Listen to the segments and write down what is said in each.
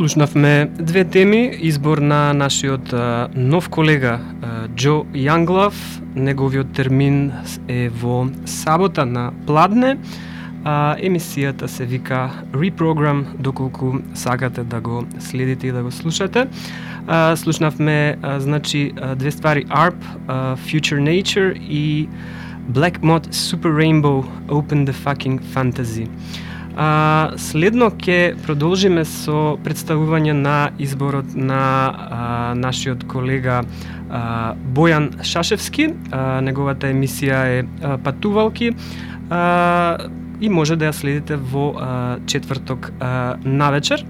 Слушнавме две теми, избор на нашиот нов колега Џо Јанглав. Неговиот термин е во сабота на Пладне. Емисијата се вика Reprogram, доколку сакате да го следите и да го слушате. Слушнавме значи две ствари: ARP, Future Nature и Black Mod Super Rainbow, Open the Fucking Fantasy. Следно ќе продолжиме со представување на изборот на нашиот колега Бојан Шашевски. Неговата емисија е Патувалки и може да ја следите во четврток навечер.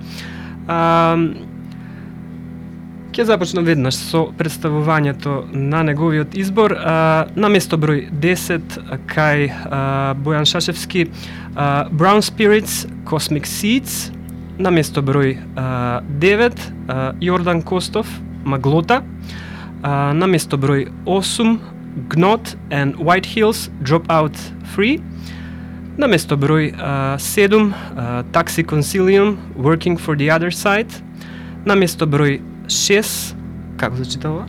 Ќе започнам веднаш со представувањето на неговиот избор. На место број 10 кај Бојан Шашевски, Brown Spirits, Cosmic Seeds. На место број 9 Јордан Костов, Маглота. На место број 8 Gnot and White Hills, Drop Out Free. На место број 7 Taxi Concilium, Working for the Other Side. На место број 6, како се читава?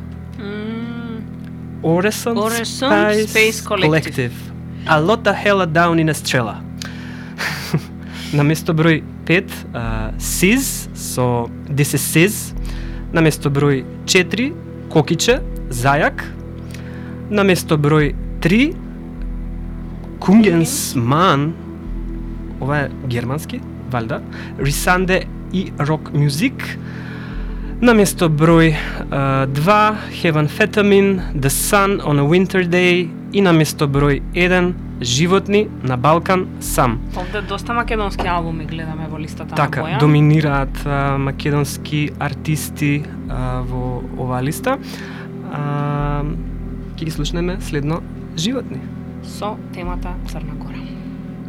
Orison Space Collective. A lot of hella down in Estrella. На место број 5, Sis, so This is Sis. На место број 4, Кокиче, Зајак. На место број 3, Kungensman, ова е германски, валјда, Risande и Rock Music. На место број 2, Heavenphetamine, The Sun on a Winter Day. И на место број 1, Животни на Балкан сам. Овде доста македонски албуми гледаме во листата така, на Бојан. Доминираат македонски артисти во оваа листа. Ќе ги слушнеме следно Животни. Со темата Црна Гора.